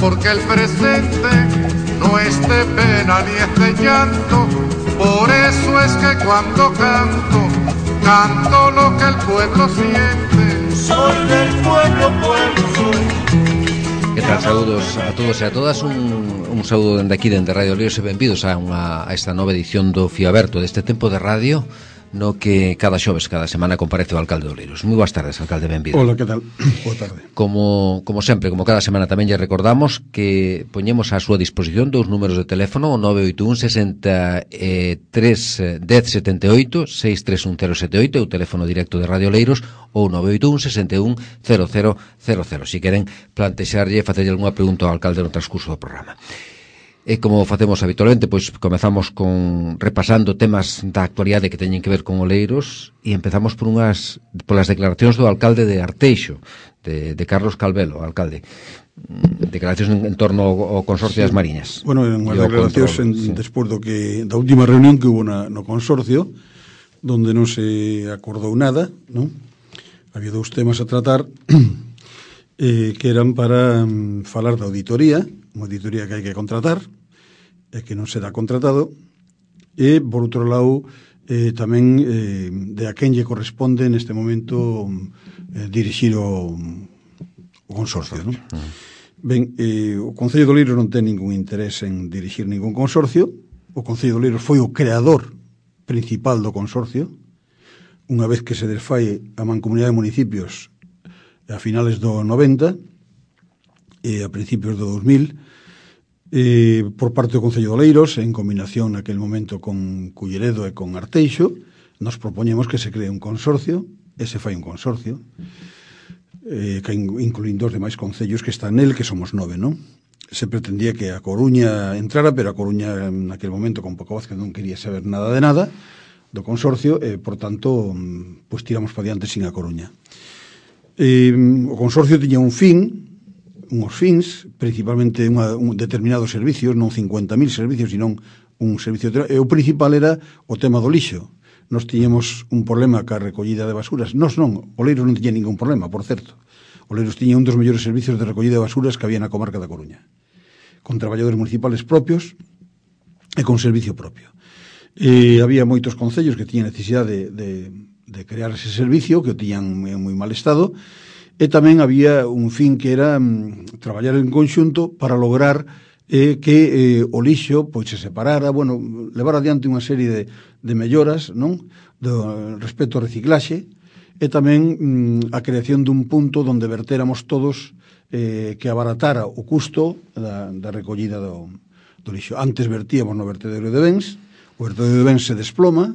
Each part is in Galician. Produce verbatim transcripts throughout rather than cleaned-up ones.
porque el presente no es de pena ni es de llanto. Por eso es que cuando canto, canto lo que el pueblo siente. Soy del pueblo, pueblo soy. Que tal, saúdos a todos e a todas. Un, un saúdo dende aquí, dende Radio Oleiros, e benvidos a, unha, a esta nova edición do Fío Aberto, deste tempo de radio no que cada xoves, cada semana comparece o alcalde de Oleiros. Moi boas tardes, alcalde, benvido. Hola, que tal? Boa tarde. Como, como sempre, como cada semana tamén lle recordamos que poñemos á súa disposición dous números de teléfono, o nove oito un sesenta e tres dez setenta e oito, seis tres un cero sete oito, o teléfono directo de Radio Oleiros, ou nove oito un sesenta e un cero cero cero cero. Si queren plantexarlle e facerlle algunha pregunta ao alcalde no transcurso do programa. E como facemos habitualmente, pois comezamos con repasando temas da actualidade que teñen que ver con Oleiros e empezamos por unhas polas declaracións do alcalde de Arteixo, de, de Carlos Calvelo, alcalde. Declaracións en, en torno ao, ao Consorcio sí. das Mariñas. Bueno, en unhas declaracións en, sí. despois do que da última reunión que hubo na, no Consorcio, donde non se acordou nada, non? Había dous temas a tratar eh, que eran para um, falar da auditoría, unha auditoría que hai que contratar, e que non será contratado, e, por outro lado, eh, tamén eh, de a quen lle corresponde neste momento eh, dirixir o, o consorcio, non? Uh-huh. Ben, eh, o Concello de Oleiros non ten ningún interés en dirixir ningún consorcio. O Concello de Oleiros foi o creador principal do consorcio, unha vez que se desfai a Mancomunidade de Municipios a finales do noventa e a principios do dos mil, Eh, por parte do Concello de Oleiros, en combinación naquel momento con Culleredo e con Arteixo, nos propoñemos que se cree un consorcio, e se fai un consorcio, eh, que incluindo os demais concellos que están nel, que somos nove, non? Se pretendía que a Coruña entrara, pero a Coruña naquel momento con Paco Vázquez non quería saber nada de nada do consorcio, e, por tanto, pois tiramos para diante sin a Coruña. Eh, o consorcio tiña un fin, unhos fins, principalmente unha, un determinados servicios, non cincuenta mil servicios, sino un servicio, e o principal era o tema do lixo. Nos tiñamos un problema ca recollida de basuras. Nos non, Oleiros non tiña ningún problema, por certo. Oleiros tiña un dos mellores servicios de recollida de basuras que había na comarca da Coruña, con traballadores municipales propios e con servicio propio. E había moitos concellos que tiñan necesidade de, de, de crear ese servicio, que o tiñan en moi mal estado. E tamén había un fin que era mm, traballar en conxunto para lograr eh, que eh, o lixo pois se separara, bueno, levar adiante unha serie de, de melloras, non? Do respecto ao reciclaxe, e tamén mm, a creación dun punto onde vertéramos todos eh, que abaratara o custo da, da recollida do, do lixo. Antes vertíamos no vertedero de Bens, o vertedero de Bens se desploma,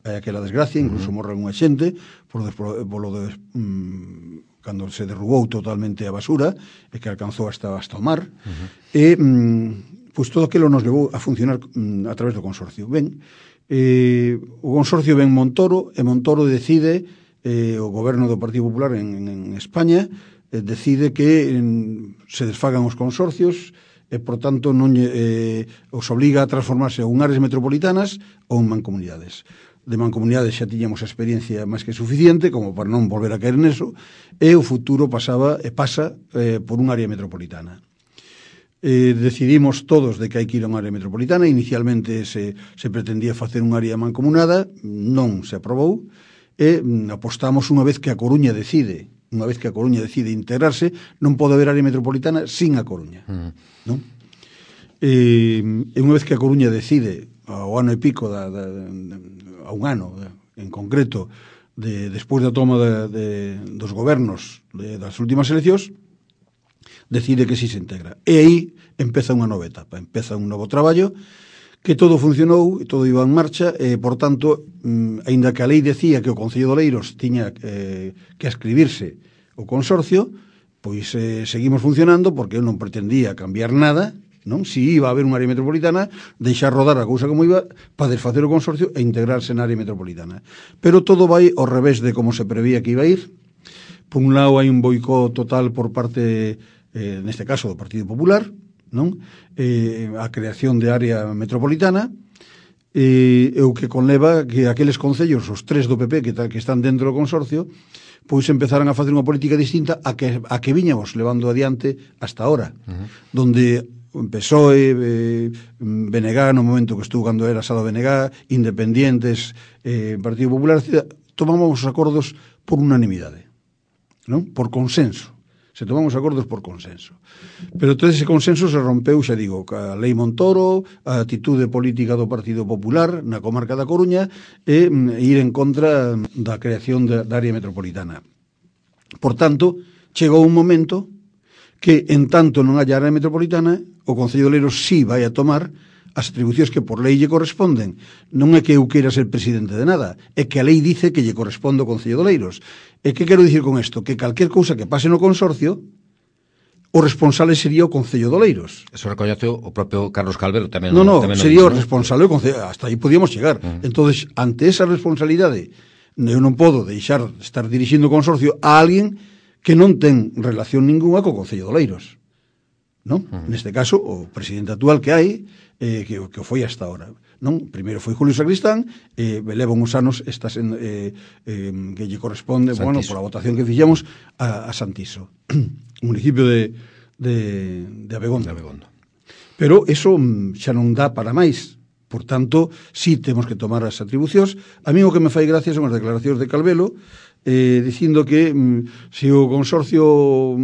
hai aquela desgracia, incluso morre unha xente por, por, por lo de... Mm, cando se derrubou totalmente a basura e que alcanzou hasta, hasta o mar, uh-huh. e mm, pois todo aquilo nos levou a funcionar mm, a través do consorcio. Ben, eh, o consorcio ven Montoro, e Montoro decide, eh, o goberno do Partido Popular en, en España, eh, decide que en, se desfagan os consorcios, e, por tanto, non eh, os obliga a transformarse en áreas metropolitanas ou en mancomunidades. De mancomunidades xa tiñamos a experiencia máis que suficiente como para non volver a caer neso, e o futuro pasaba e pasa eh, por un área metropolitana. Eh, decidimos todos de que hai que ir a unha área metropolitana. Inicialmente se, se pretendía facer un área mancomunada, non se aprobou, e mm, apostamos unha vez que a Coruña decide, unha vez que a Coruña decide integrarse, non pode haber área metropolitana sin a Coruña. Mm. Non? E, e unha vez que a Coruña decide, ao ano e pico da, da, da, a un ano en concreto de, despois da toma de, de, dos gobernos de, das últimas eleccións, decide que si se integra, e aí empeza unha nova etapa, empeza un novo traballo, que todo funcionou, todo iba en marcha, e, por tanto, mm, aínda que a lei decía que o Concello de Oleiros tiña eh, que ascribirse o consorcio, pois eh, seguimos funcionando, porque eu non pretendía cambiar nada, non? Si iba a haber unha área metropolitana, deixar rodar a cousa como iba para desfacer o consorcio e integrarse na área metropolitana. Pero todo vai ao revés de como se prevía que iba a ir. Por un lado hai un boicot total por parte, eh, neste caso, do Partido Popular, non? Eh, a creación de área metropolitana, e, e o que conleva que aqueles concellos, os tres do P P que, que están dentro do consorcio, pois empezaran a facer unha política distinta a que, a que viñamos levando adiante hasta ahora, uh-huh. donde P S O E, eh, B N G, no momento que estuvo cando era Sado B N G, Independientes, eh, Partido Popular, tomamos os acordos por unanimidade, non? Por consenso. Se tomamos acordos por consenso. Pero todo ese consenso se rompeu, xa digo, ca Lei Montoro, a atitude política do Partido Popular na comarca da Coruña e ir en contra da creación da, da área metropolitana. Por tanto, chegou un momento que, en tanto non haya área metropolitana, o Concello de Oleiros sí vai a tomar as atribucións que por lei lle corresponden. Non é que eu queira ser presidente de nada, é que a lei dice que lle corresponde ao Concello de Oleiros. E que quero dicir con isto? Que calquer cousa que pase no consorcio, o responsable sería o Concello de Oleiros. Eso recoñece o propio Carlos Calvero tamén. No, no, tamén sería no, o responsable o Concello, hasta aí podíamos chegar. Uh-huh. Entonces, ante esa responsabilidade, eu non podo deixar de estar dirixindo o consorcio a alguén que non ten relación ninguna co Concello de Oleiros. Non? Uh-huh. Neste caso, o presidente actual que hai, eh, que, que o foi hasta ahora. Non? Primeiro foi Julio Sacristán, eh, leva uns anos estas en, eh, eh, que lle corresponde, Santiso. Bueno, pola votación que fixemos a, a Santiso, municipio de, de, de Abegondo. De Abegondo. Pero eso xa non dá para máis. Por tanto, sí temos que tomar as atribucións. A mí o que me fai gracia son as declaracións de Calvelo, eh, dicindo que mm, se o consorcio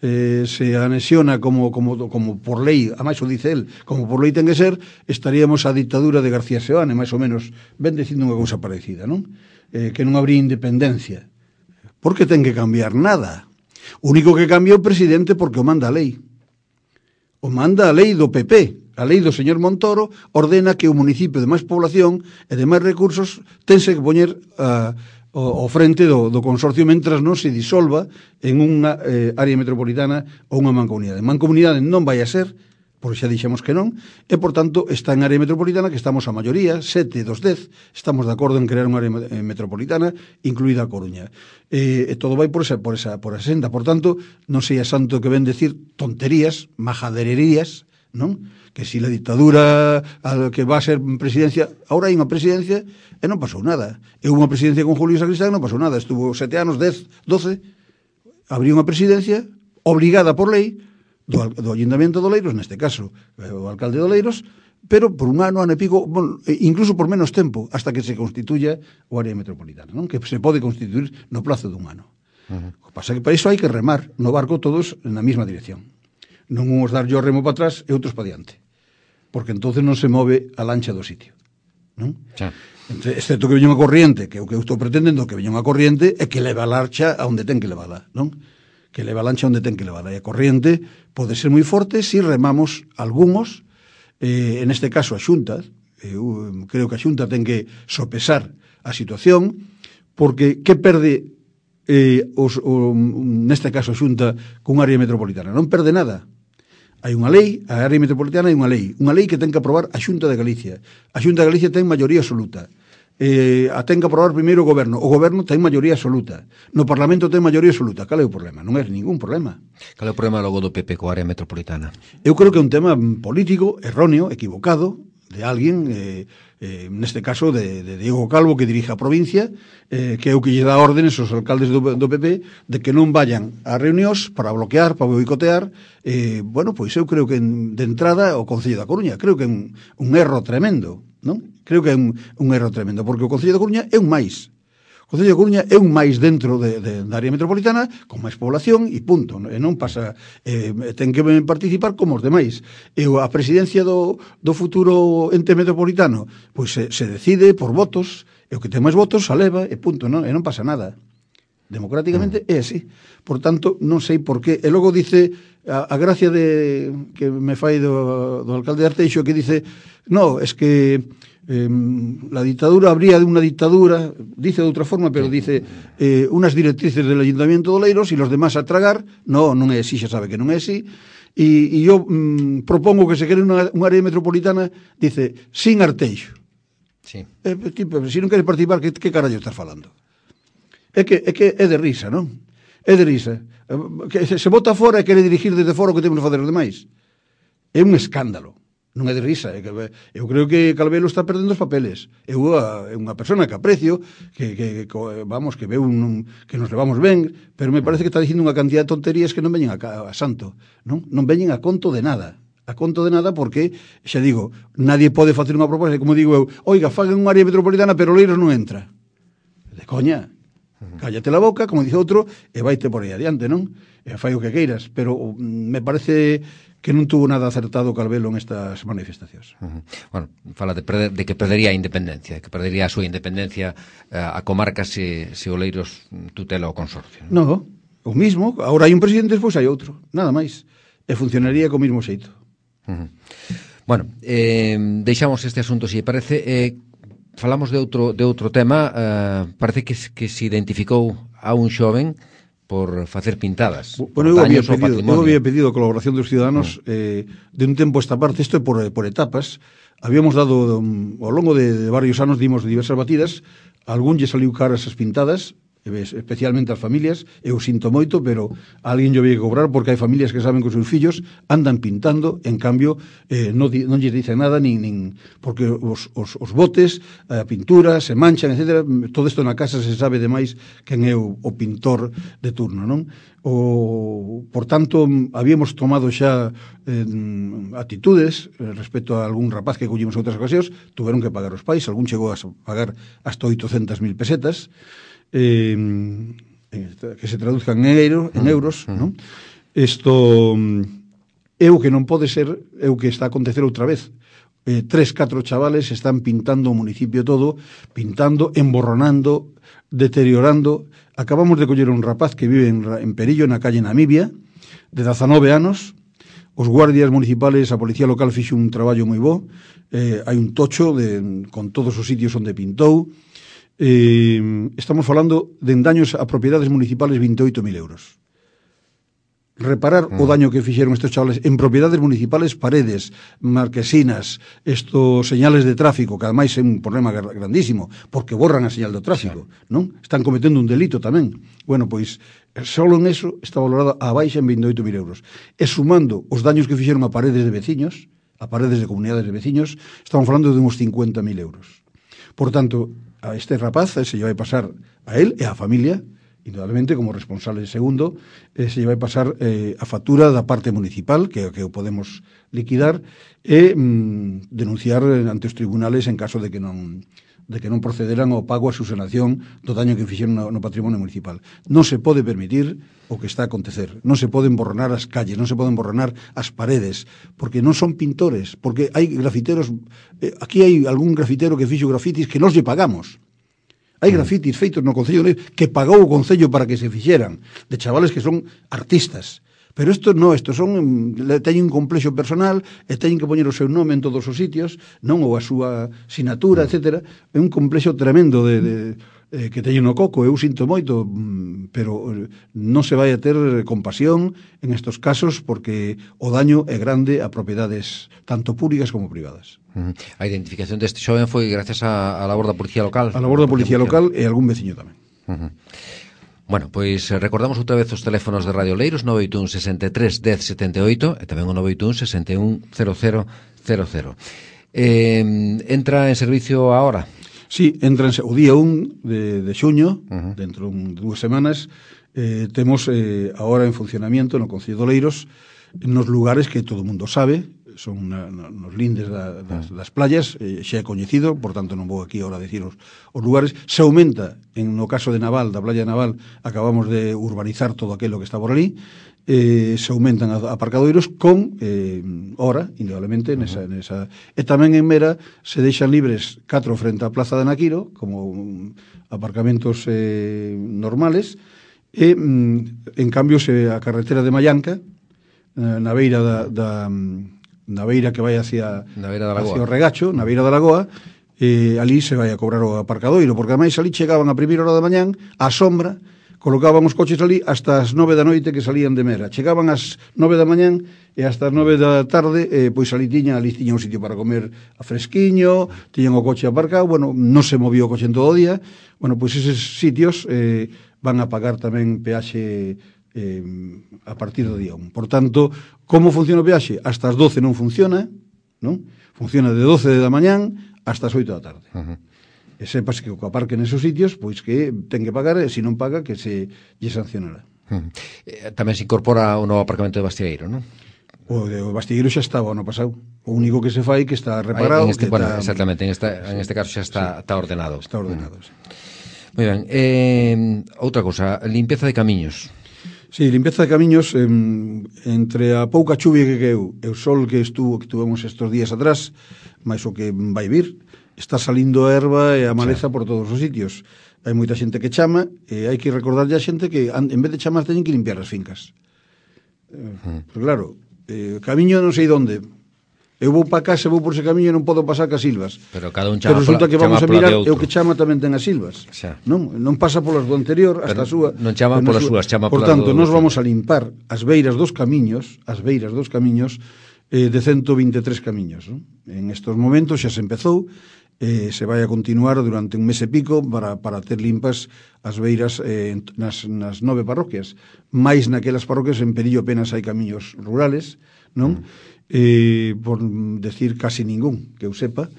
eh, se anexiona como, como, como por lei, a máis o dice el, como por lei ten que ser, estaríamos a dictadura de García Seoane, máis ou menos, ven dicindo unha cousa parecida, non? Eh, que non habría independencia. Por que ten que cambiar nada? O único que cambia o presidente porque o manda a lei. O manda a lei do P P. A lei do señor Montoro ordena que o municipio de máis población e de máis recursos tense que poñer a uh, ao frente do, do consorcio mentras non se disolva en unha eh, área metropolitana ou unha mancomunidade. Mancomunidade non vai a ser, porque xa dixemos que non, e, por tanto, está en área metropolitana que estamos a maioría, sete dos dez, estamos de acordo en crear unha área metropolitana, incluída a Coruña. E, e todo vai por esa, por esa, por esa senda. Por tanto, non sei a santo que ven decir tonterías, majadererías, non? Que si la dictadura a que va a ser presidencia, ahora hai unha presidencia e non pasou nada. E unha presidencia con Julio Sacristán e non pasou nada. Estuvo sete anos, dez, doce, abriu unha presidencia obligada por lei do, do Ayuntamiento de Oleiros, neste caso o alcalde de Oleiros, pero por un ano, ano e pico, bueno, incluso por menos tempo, hasta que se constituya o área metropolitana, non? Que se pode constituir no plazo dun ano. Uh-huh. O que pasa é que para iso hai que remar no barco todos na mesma dirección. Non uns dar yo remo para atrás e outros para diante, porque entonces non se move a lancha do sitio, non? Xa. Entre, excepto que veña unha corriente, que o que eu estou pretendendo que veña unha corriente é que leva a lancha a onde ten que levala, non? Que leva a lancha onde ten que levala, e a corriente pode ser moi forte se si remamos algúns, eh, en este caso a Xunta, eu creo que a Xunta ten que sopesar a situación, porque que perde eh, os, o, neste caso a Xunta cun área metropolitana? Non perde nada. Hai unha lei, a área metropolitana hai unha lei, unha lei que ten que aprobar a Xunta de Galicia. A Xunta de Galicia ten maioría absoluta. Eh, a ten que aprobar primeiro o goberno. O goberno ten maioría absoluta. No Parlamento ten maioría absoluta. Cal é o problema? Non é ningún problema. Cal é o problema logo do P P coa área metropolitana? Eu creo que é un tema político, erróneo, equivocado, de alguén, eh, eh, neste caso de, de Diego Calvo, que dirige a provincia, eh, que é o que lle dá órdenes aos alcaldes do, do P P de que non vayan a reunións para bloquear, para boicotear. Eh, bueno, pois eu creo que en, de entrada o Concello da Coruña, creo que é un, un erro tremendo, non? Creo que é un, un erro tremendo, porque o Concello da Coruña é un máis. O Concello da Coruña é un máis dentro de, de, da área metropolitana, con máis población e punto. E non pasa, eh, ten que participar como os demais. E a presidencia do, do futuro ente metropolitano, pois se, se decide por votos, e o que ten máis votos saleva, e punto, non? E non pasa nada. Democráticamente é así. Por tanto, non sei por qué. E logo dice, a, a gracia de que me fai do, do alcalde de Arteixo, que dice, no, es que Eh, la dictadura habría de una dictadura, dice de outra forma, pero dice eh, unas directrices del Ayuntamiento de Oleiros e los demás a tragar. No, non é así, xa sabe que non é así. E, e eu mm, propongo que se quere unha, unha área metropolitana, dice, sin Arteixo. Sí. Eh, tipo, se non queres participar, que, que carallo estás falando? É que, é que é de risa, non? É de risa. Que se, se bota fora e quere dirigir desde fora o que temos que fazer os demais. É un escándalo. non é de risa, é que, eu creo que Calvelo está perdendo os papeles. Eu é unha persona que aprecio, que, que, que vamos, que veo un, que nos levamos ben, pero me parece que está dicindo unha cantidad de tonterías que non veñen a, a santo, non? Non veñen a conto de nada. A conto de nada porque, xa digo, nadie pode facer unha proposta, como digo eu, oiga, faguen unha área metropolitana, pero Oleiros non entra. De coña. Cállate la boca, como dice outro, e vaite por aí adiante, non? E fai o que queiras, pero me parece que non tuvo nada acertado Calvelo en estas manifestacións. Uh -huh. Bueno, fala de, perder, de que perdería a independencia, que perdería a súa independencia uh, a comarca se, se Oleiros tutela o consorcio. Non, no, o mismo, agora hai un presidente, despois hai outro, nada máis. E funcionaría co mismo xeito. Uh -huh. Bueno, eh, deixamos este asunto, se parece. Eh, falamos de outro, de outro tema, uh, parece que, que se identificou a un xoven por facer pintadas. Bueno, eu había, pedido, eu había pedido a colaboración dos ciudadanos mm. eh, de un tempo esta parte, isto é por, por etapas. Habíamos dado, um, ao longo de, de varios anos, dimos diversas batidas, algún lle saliu caras as pintadas, especialmente as familias, eu sinto moito, pero alguén lle vai cobrar porque hai familias que saben que os seus fillos andan pintando, en cambio eh, non, non lles dicen nada, nin, nin porque os, os, os botes, a pintura, se manchan, etcétera. Todo isto na casa se sabe demais quen é o, o pintor de turno, non? O, por tanto, habíamos tomado xa eh, atitudes eh, respecto a algún rapaz que collimos en outras ocasións, tuveron que pagar os pais, algún chegou a pagar hasta oitocentas mil pesetas, Eh, que se traduzcan en, euro, en euros, uh -huh. non? Isto é o que non pode ser, é o que está a acontecer outra vez. Eh, tres, catro chavales están pintando o municipio todo, pintando, emborronando, deteriorando. Acabamos de coller un rapaz que vive en, en Perillo, na calle Namibia, de dezanove anos. Os guardias municipales, a policía local fixo un traballo moi bo. Eh, hai un tocho de, con todos os sitios onde pintou. Eh, estamos falando de daños a propiedades municipales veintioito mil euros. Reparar mm. o daño que fixeron estes chavales en propiedades municipales, paredes, marquesinas, estos señales de tráfico, que ademais é un problema grandísimo, porque borran a señal do tráfico, non? Están cometendo un delito tamén. Bueno, pois, só en eso está valorado a baixa en veintioito mil euros. E sumando os daños que fixeron a paredes de veciños, a paredes de comunidades de veciños, estamos falando de uns cincuenta mil euros. Por tanto, a este rapaz se lle vai pasar a él e a familia, indudablemente como responsable de segundo, eh, se lle vai pasar eh, a factura da parte municipal, que que o podemos liquidar, e mm, denunciar ante os tribunales en caso de que non de que non procederan ao pago a subsanación do daño que fixeron no, no patrimonio municipal. Non se pode permitir o que está a acontecer. Non se poden borronar as calles, non se poden borronar as paredes, porque non son pintores, porque hai grafiteros, eh, aquí hai algún grafitero que fixo grafitis que nos lle pagamos. Hai grafitis feitos no Concello de Oleiros que pagou o Concello para que se fixeran, de chavales que son artistas. Pero isto non, isto son, teñen un complexo personal e teñen que poñer o seu nome en todos os sitios, non, ou a súa sinatura, etcétera. É un complexo tremendo de, de, eh, que teñen no coco, eu sinto moito, pero non se vai a ter compasión en estos casos porque o daño é grande a propiedades tanto públicas como privadas. Uh -huh. A identificación deste xoven foi gracias á labor da Policía Local. A labor da Policía Local e algún veciño tamén. Uh -huh. Bueno, pois recordamos outra vez os teléfonos de Radio Oleiros, nove oito un, sesenta e tres, dez, setenta e oito, e tamén o nove oito un, sesenta e un, cero cero cero cero. Eh, entra en servicio ahora? Sí, entra en, o día un de, de xuño, uh -huh. dentro de dúas semanas, eh, temos eh, ahora en funcionamiento no Concello de Oleiros, nos lugares que todo o mundo sabe, son na, na, nos lindes da, das, das playas, eh, xa é coñecido, por tanto non vou aquí ahora a decir os, os lugares. Se aumenta, en no caso de Naval, da playa de Naval, acabamos de urbanizar todo aquilo que está por ali, eh, se aumentan aparcadoiros con eh, hora, indudablemente, nesa, nesa, e tamén en Mera se deixan libres catro frente á Plaza de Naquiro, como um, aparcamentos eh, normales, e mm, en cambio se a carretera de Mallanca, eh, na beira da, da na beira que vai hacia, hacia o regacho, na beira da lagoa, eh, ali se vai a cobrar o aparcadoiro, porque ademais ali chegaban a primeira hora da mañán, á sombra, colocaban os coches ali hasta as nove da noite que salían de Mera. Chegaban ás nove da mañán e hasta as nove da tarde, eh, pois ali tiña, ali tiña un sitio para comer a fresquiño, tiñan o coche aparcado, bueno, non se movió o coche en todo o día, bueno, pois eses sitios eh, van a pagar tamén peaxe eh, a partir do día un. Por tanto, como funciona o peaxe? Hasta as doce non funciona, non? Funciona de doce da mañán hasta as oito da tarde. Uh -huh. E sepas que o que aparque nesos sitios, pois que ten que pagar, e se non paga, que se lle sancionará. Uh -huh. eh, Tamén se incorpora o novo aparcamento de Bastieiro, non? O de o Bastilleiro xa estaba ano pasado. O único que se fai que está reparado. En este, que bueno, está, exactamente, en, esta, en sí, este caso xa está, sí, está ordenado. Está ordenado, sí. Moi ben. Eh, outra cousa, limpieza de camiños. Sí, limpieza de camiños, eh, entre a pouca chuvia que queu e o sol que estuvo que tuvemos estes días atrás, máis o que vai vir, está salindo a erva e a maleza, sí, por todos os sitios. Hai moita xente que chama, e hai que recordarlle a xente que en vez de chamar teñen que limpiar as fincas. Eh, mm. Pero claro, eh, camiño non sei onde. Eu vou para casa, vou por ese camiño e non podo pasar cas silvas. Pero cada un chama. Pero resulta pola, que vamos a mirar e o que que chama tamén ten as silvas. Xa. Non, non pasa polas do anterior hasta a súa. Non chama polas súas, chama por polas tanto, do... nós vamos a limpar as beiras dos camiños, as beiras dos camiños eh, de ciento vinte e tres camiños, non? En estos momentos xa se empezou, eh, se vai a continuar durante un mes e pico para, para ter limpas as beiras eh, nas, nas nove parroquias. Mais naquelas parroquias en Perillo apenas hai camiños rurales, non? Mm. Eh, por decir casi ningún, que eu sepa.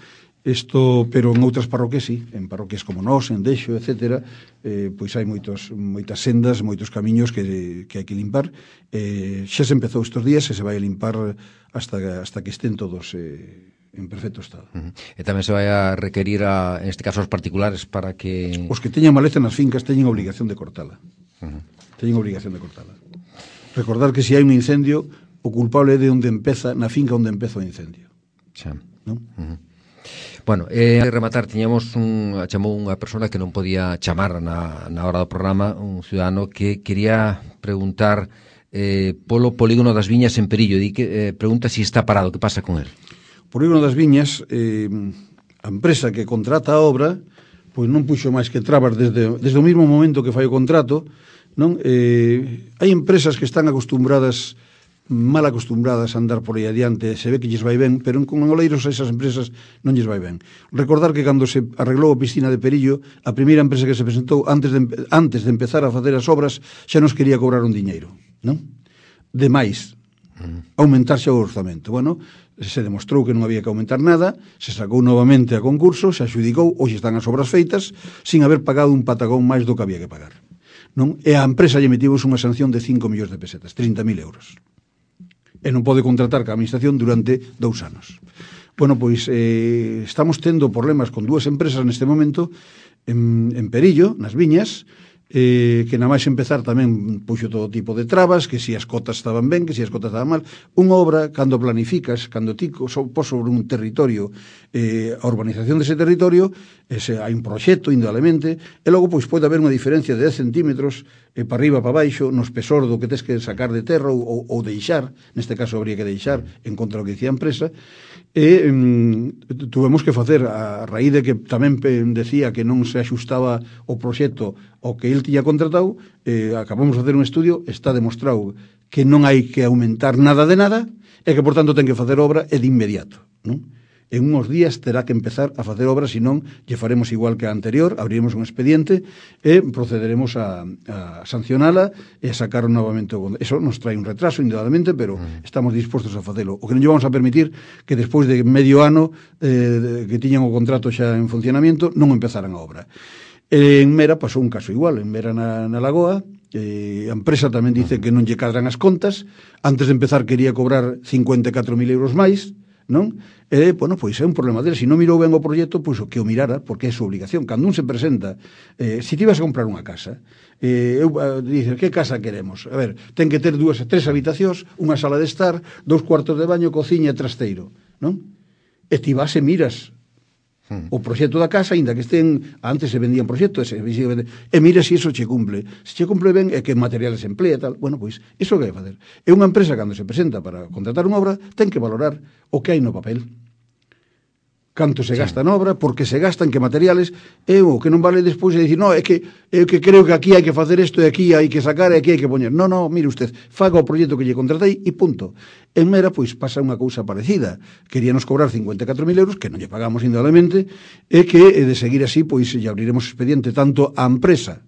Isto, pero en outras parroquias sí, en parroquias como nós, en Deixo, etcétera, eh, pois hai moitos, moitas sendas, moitos camiños que, que hai que limpar. Eh, xa se empezou estes días e se vai a limpar hasta, hasta que estén todos eh, en perfecto estado. Uh -huh. E tamén se vai a requerir, a, en este caso, aos particulares para que... Os que teñan maleza nas fincas teñen obligación de cortala. Uh -huh. Teñen obligación de cortala. Recordar que se hai un incendio, o culpable é de onde empeza, na finca onde empeza o incendio. Xa. Non? Uh -huh. Bueno, eh, de rematar, tiñamos un, chamou unha persona que non podía chamar na, na hora do programa, un ciudadano que quería preguntar eh, polo polígono das Viñas en Perillo. Di que, eh, pregunta si está parado, que pasa con él? O polígono das Viñas, eh, a empresa que contrata a obra, pois non puxo máis que trabas desde, desde o mesmo momento que fai o contrato, non? Eh, hai empresas que están acostumbradas mal acostumbradas a andar por aí adiante, se ve que lles vai ben, pero con Oleiros a esas empresas non lles vai ben. Recordar que cando se arreglou a piscina de Perillo, a primeira empresa que se presentou antes de, antes de empezar a facer as obras xa nos quería cobrar un diñeiro, non? De máis, aumentar xa o orzamento. Bueno, se demostrou que non había que aumentar nada, se sacou novamente a concurso, se adxudicou, hoxe están as obras feitas, sin haber pagado un patagón máis do que había que pagar, non? E a empresa lle metimos unha sanción de cinco millóns de pesetas, trinta mil euros. E non pode contratar ca administración durante dous anos. Bueno, pois eh, estamos tendo problemas con dúas empresas neste momento en, en Perillo, nas Viñas, eh, que na máis empezar tamén puxo todo tipo de trabas, que si as cotas estaban ben, que si as cotas estaban mal. Unha obra, cando planificas, cando ti pos sobre un territorio, eh, a urbanización dese territorio, ese, hai un proxecto, indudablemente, e logo pois pode haber unha diferencia de dez centímetros eh, para arriba, para baixo, no espesor do que tes que sacar de terra ou, ou deixar, neste caso habría que deixar en contra do que dicía a empresa, e mm, tuvemos que facer, a raíz de que tamén decía que non se axustaba o proxecto ao que el tiña contratado, eh, acabamos de facer un estudio, está demostrado que non hai que aumentar nada de nada e que, por tanto, ten que facer obra e de inmediato, non? En uns días terá que empezar a facer obra, senón lle faremos igual que a anterior, abriremos un expediente e procederemos a, a sancionala e a sacar novamente o... Eso nos trae un retraso, indudablemente, pero mm. estamos dispostos a facelo. O que non lle vamos a permitir que despois de medio ano eh, que tiñan o contrato xa en funcionamento non empezaran a obra. En Mera pasou un caso igual, en Mera na, na Lagoa, eh, a empresa tamén dice que non lle cadran as contas, antes de empezar quería cobrar cincuenta e catro mil euros máis, non? E, bueno, pois é un problema dele. Se non mirou ben o proxecto, pois o que o mirara, porque é súa obligación. Cando un se presenta, eh, se ti vas a comprar unha casa, eh, eu, eh, dices, que casa queremos? A ver, ten que ter dúas, tres habitacións, unha sala de estar, dous cuartos de baño, cociña e trasteiro, non? E ti vas e miras o proxecto da casa, aínda que estén, antes se vendían proxectos, e, e mira se iso che cumple. Se che cumple ben, e que materiales se emplea e tal. Bueno, pois, iso que hai que facer. É unha empresa, cando se presenta para contratar unha obra, ten que valorar o que hai no papel. Canto se gasta na obra, porque se gastan, que materiales, e o que non vale despois é dicir, no, é que, é que creo que aquí hai que facer isto, e aquí hai que sacar, e aquí hai que poñer. No, no, mire usted, faga o proxecto que lle contratei, e punto. En Mera, pois, pasa unha cousa parecida. Queríanos cobrar cincuenta e catro mil euros, que non lle pagamos indudablemente, e que, de seguir así, pois, lle abriremos expediente tanto á empresa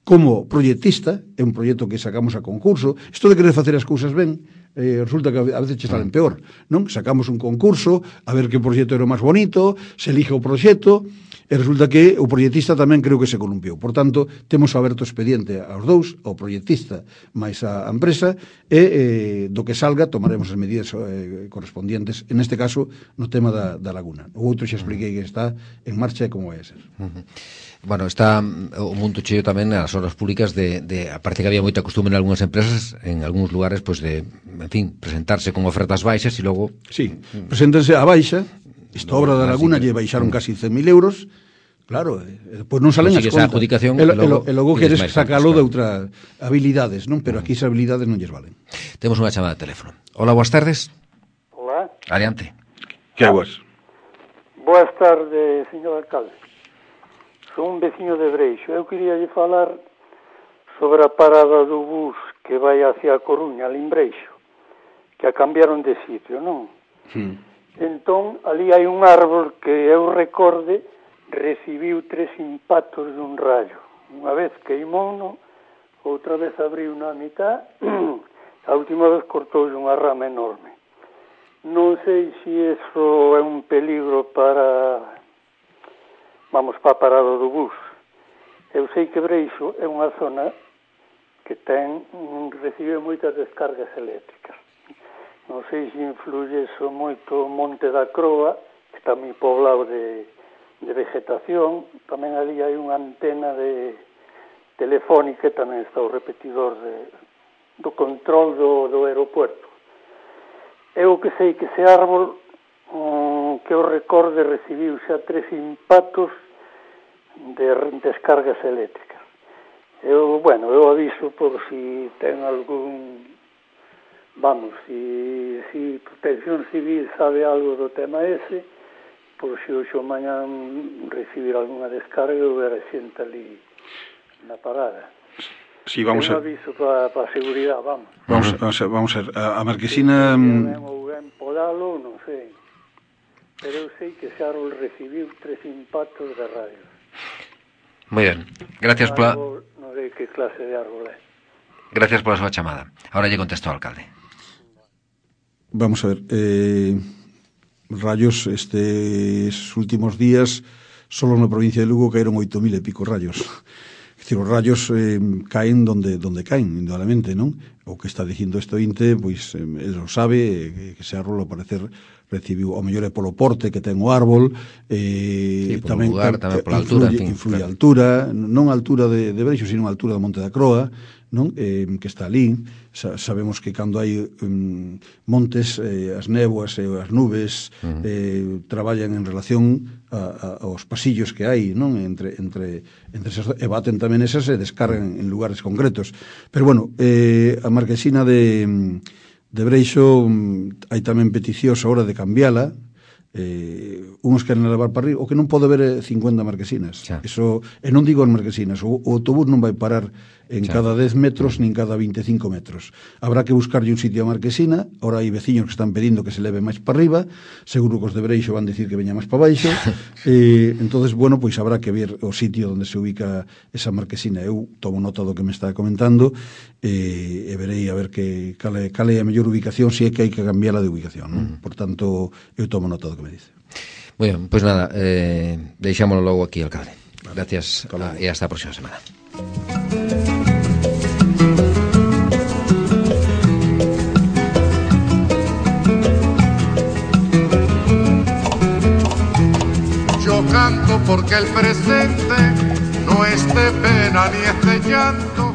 como proyectista, é un proxecto que sacamos a concurso. Isto de querer facer as cousas ben eh, resulta que a veces che salen peor, non? Sacamos un concurso a ver que proxecto era o máis bonito, se elige o proxecto, e resulta que o proxectista tamén creo que se columpiou. Por tanto, temos aberto expediente aos dous, ao proxectista máis a empresa, e eh, do que salga tomaremos as medidas eh, correspondientes, en este caso, no tema da, da laguna. O outro xa expliquei que está en marcha e como vai a ser. Uh-huh. Bueno, está o mundo cheo tamén nas obras públicas de, de aparte que había moita costume en algunhas empresas, en algúns lugares, pues de, en fin, presentarse con ofertas baixas e logo... Sí, preséntense a baixa. Esta obra da laguna lle baixaron casi cen mil euros, claro, e depois non salen as contas. Adjudicación e, logo, e logo queres sacalo de outras habilidades, non? Pero aquí esas habilidades non lles valen. Temos unha chamada de teléfono. Hola, boas tardes. Hola. Adiante. Que aguas? Boas tardes, señor alcalde. Son un veciño de Breixo. Eu quería lle falar sobre a parada do bus que vai hacia a Coruña, ali en Breixo, que a cambiaron de sitio, non? Sí. Entón, ali hai un árbol que eu recorde recibiu tres impactos dun rayo. Unha vez queimouno, outra vez abriu na mitad, a última vez cortou unha rama enorme. Non sei se iso é un peligro para, vamos, para a parada do bus. Eu sei que Breixo é unha zona que ten, recibe moitas descargas eléctricas. Non sei se influye eso moito o Monte da Croa, que está moi poblado de, de vegetación. Tamén ali hai unha antena de telefónica e tamén está o repetidor de, do control do, do aeropuerto. Eu que sei que ese árbol, um, que eu recorde, recibiu xa tres impactos de descargas eléctricas. Eu, bueno, eu aviso por si ten algún... Vamos, si, si Protección Civil sabe algo do tema ese, por si hoxe o mañan recibir alguna descarga ou ver a xente ali na parada. Sí, vamos é un a... aviso para pa a seguridade, vamos. Vamos, vamos a, vamos a, a Marquesina... Ben ou ben podalo, non sei. Pero eu sei que ese árbol recibiu tres impactos de rayos. Moi ben, gracias pola... Non sei que clase de árbol é. Gracias pola súa chamada. Ahora lle contesto ao alcalde. Vamos a ver, eh, rayos estes últimos días solo na provincia de Lugo caeron oito mil e pico rayos. É dicir, os rayos eh, caen donde donde caen, indudablemente, non? O que está dicindo este ointe, pois, eh, el lo sabe, eh, que ese árbol, ao parecer, recibiu, ao mellor é polo porte que ten o árbol, eh, sí, tamén, lugar, tamén pola altura, influye, en fin, influye claro. a altura, non a altura de, de Breixo, sino a altura da Monte da Croa, non? Eh, que está ali. Sa, sabemos que cando hai um, montes, eh, as néboas e as nubes uh-huh. eh, traballan en relación a, a, aos pasillos que hai, non? Entre, entre, entre esas, e baten tamén esas e descargan en lugares concretos. Pero bueno, eh, a Marquesina de, de Breixo hai tamén peticións a hora de cambiala. Eh, uns queren levar para arriba, o que non pode haber é cincuenta marquesinas. Xa. Eso, e non digo as marquesinas, o, o autobús non vai parar en Xa. cada dez metros nin cada vinte e cinco metros. Habrá que buscarlle un sitio a Marquesina. Ahora hai veciños que están pedindo que se leve máis para arriba, seguro que os de Breixo van decir que veña máis para baixo. eh, entonces, bueno, pois habrá que ver o sitio onde se ubica esa Marquesina. Eu tomo nota do que me está comentando eh, e verei a ver que cale, cale a mellor ubicación, se é que hai que cambiarla de ubicación, non? Por tanto, eu tomo nota do que me dice. Moi ben, pois nada, eh, deixámoslo logo aquí, alcalde. Gracias a, e hasta a próxima semana. Yo canto porque el presente no es de pena ni es de llanto,